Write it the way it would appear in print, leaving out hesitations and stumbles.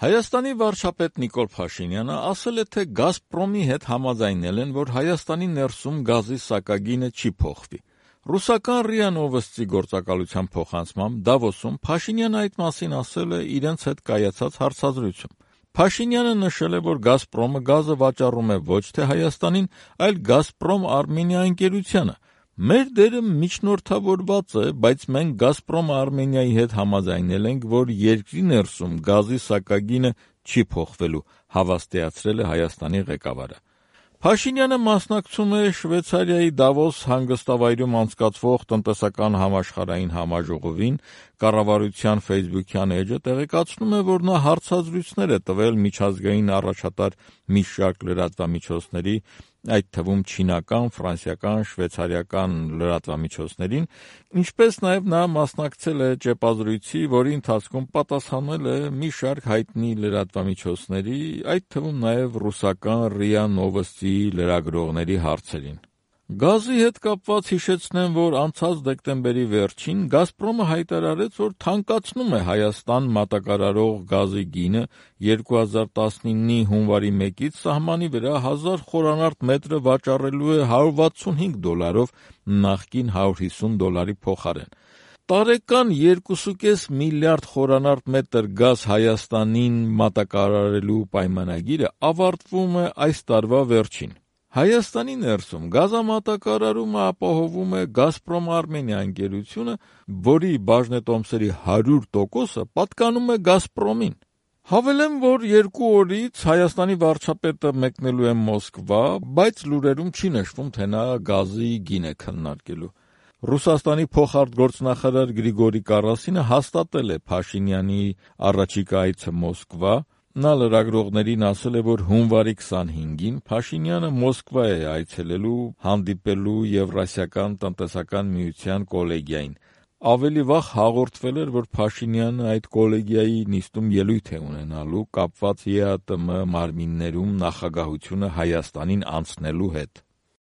Հայաստանի վարչապետ Նիկոլ Փաշինյանը ասել է, թե «Գազպրոմի» հետ համաձայնել են, որ Հայաստանի ներսում գազի սակագինը չի փոխվի։ Ռուսական ՌԻԱ Նովոստի գործակալության փոխանցմամբ Դավոսում Փաշինյանը այդ մասին ասել է իրենց հետ կայացած հարցազրույցում։ Փաշինյանը նշել է, որ «Գազպրոմը» գազը վաճառում է ոչ թե Հայաստանին, այլ «Գազպրոմ Արմենիա» ընկերությանը։ «Մեր դերը միջնորդավորված է, բայց մենք «Գազպրոմ Արմենիայի» հետ համաձայնել ենք, որ երկրի ներսում գազի սակագինը չի փոխվելու», հավաստիացրել է Հայաստանի ղեկավարը։ Փաշինյանը մասնակցում է Շվեյցարիայի Դավոս հանգստավայրում անցկացվող տնտեսական համաշխարհային համաժողովին, կառավարության ֆեյսբուքյան էջը տեղեկացնում է, որ նա հարցազրույցներ է տվել միջազգային առաջատար մի շարք լրատվամիջոցների, այդ թվում չինական, ֆրանսիական, շվեյցարիական լրատվամիջոցներին, ինչպես նաև նա մասնակցել է ճեպազրույցի, որի ընթացքում պատասխանել է մի շարք հայտնի լրատվամիջոցների, այդ թվում նաև ռուսական ՌԻԱ Նովոստի լրագրողների հարցերին։ Գազի հետ կապված հիշեցնեմ, որ անցած դեկտեմբերի վերջին «Գազպրոմը» հայտարարեց, որ թանկացնում է Հայաստան մատակարարող գազի գինը 2019-ի հունվարի 1-ից սահմանի վրա 1000 խորանարդ մետրը վաճառելու է $165, նախկին $150 փոխարեն։ Տարեկան 2,5 միլիարդ խորանարդ մետր գազ Հայաստանին մատակարարելու պայմանագիրը ավարտվում է այս տարվա վերջին։ Հայաստանի ներսում գազամատակարարումը ապահովում է «Գազպրոմ Արմենիա» ընկերությունը, որի բաժնետոմսերի 100%-ը պատկանում է «Գազպրոմին»։ Հավելեմ, որ 2 օրից Հայաստանի վարչապետը մեկնելու է Մոսկվա, բայց լուրերում չի նշվում, թե նա գազի գին է քննարկելու։ Ռուսաստանի փոխարտգործնախարար Գրիգորի Կարասինը հաստատել է Փաշինյանի առաջիկա այցը Մոսկվա։ Նա լրագրողներին ասել է, որ հունվարի 25-ին Փաշինյանը Մոսկվա է այցելելու հանդիպելու Եվրասիական տնտեսական միության կոլեգիային։ Ավելի վաղ հաղորդվել էր, որ Փաշինյանը այդ կոլեգիայի նիստում ելույթ է ունենալու կապված ԵԱՏՄ մարմիններում նախագահությունը Հայաստանին անցնելու հետ։